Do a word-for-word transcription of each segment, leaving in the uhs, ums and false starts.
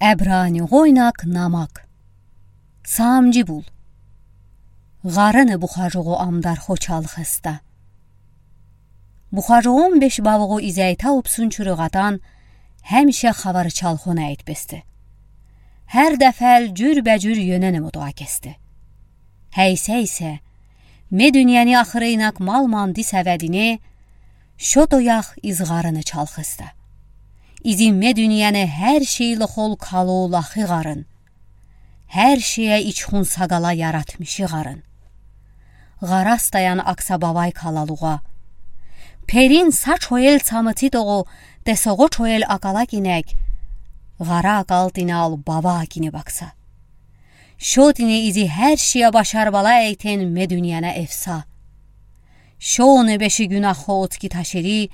Эбраниғойнак намак. Саамҷи бул. Ɣарыны бухажуғу амдар хо чалхыста. Бухажуғ он беш бавуғу изяйтаубсун чурыгъатан, һәмише хавар чалхона айтбесте. Һәр дафал ҷур бе ҷур йӧнене мото акесте. Һәйсе исе, ме дунияни ахырыйнак мал манди сәвәдине, шото ях из ɣарыны чалхыста. Изи ме дунияни һәр шейли хол калу лахи ɣарын. Һәр шее ичхун сагала яратмиши ɣарын. Ɣарас таян акса бавай калалуға. Перин са чоел цамыти тоғу, тесоғо чоел акала кинек. Ɣара акал тинал бава акине бакса. Шо тине изи һәр шее башар бала әйтен ме дунияна эвса. Шоны беши гүнахо отки ташери,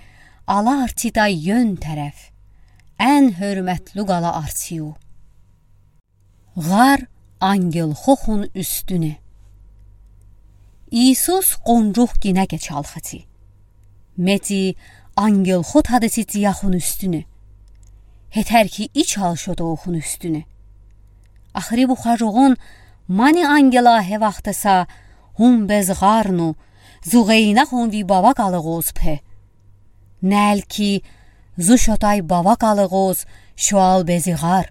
ала арцита йөн тәрәф. Эн һөрмәтлу гала арциу. Ɣар ангел хохун үстүне. Иисус конҷух гинәке чалхыти. Мети ангел хо тадыси тияхун үстүне. Һетер ки ичал шото охун үстүне. Ахри бухажуғун мани ангела һе вахтыса, һун без ɣарну, зуғейна һун ви бава калығоз пе. Нәл ки, зу шотай бава калығоз, шоал бези ɣар.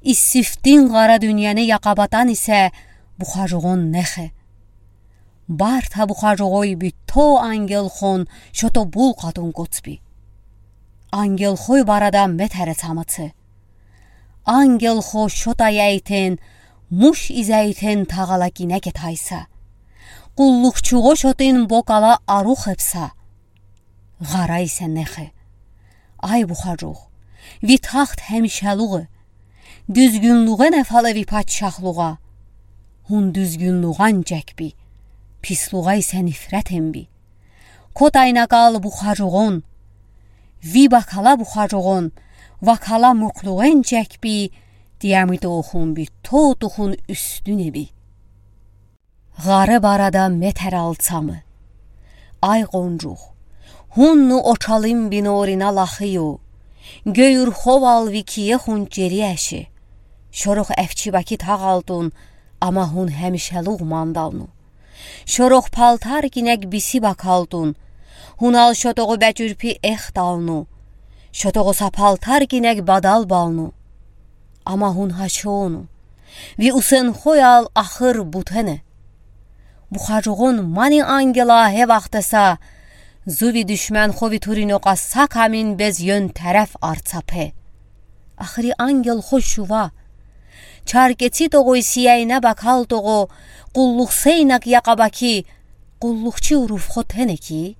Иссифтин ɣара дунияни яқабатан исе бухажуғун нехе. Барта бухажуғой битто ангел хон шото бул қатун коцби. Ангел хой барада метәре цамыци. Ангел хо шотай әйтен, муш из әйтен тағала гинәке тайса. Къуллухчуғо шотын бокала арух эпса. Ɣара исе нехе. Ай бухажуғ, ви тахт һәмишәлуғ. Дүзгюнлуғе не фалеви патшахлуға. Һун дүзгюнлуған чекби. Пислуға исе нифрәтенби. Котайна кал бухажуғон. Ви бакала бухажуғон, вакала муклуғен чекби, диамит охун би, то тухун үстүне би. Ɣары барада метәр алцамы. Ай конҷух, һунну очалым би норина лахыю. Гӧюр ховал ви кие һун чери әши. Шорох әфчи баки тағалтун, ама һун һәмишәлуғ мандалну. Шорох палтар кинәк биси бакалтун. Һунал шотоғу бәчүрпи эхталну. Шотоғу са палтар кинәк бадал балну. Ама һун һачону. Ви усен хойал ахыр бутене. Бухажуғон мани ангела һе вахтеса, зуви душман хови туриноқа са камин без йөн тәрәф арцапе. Ахри ангел хо шува. Чаркеци тоғой сияйна бакал тоғо, къуллух сейнак яқа баки, къуллухчи уруф хо тене ки.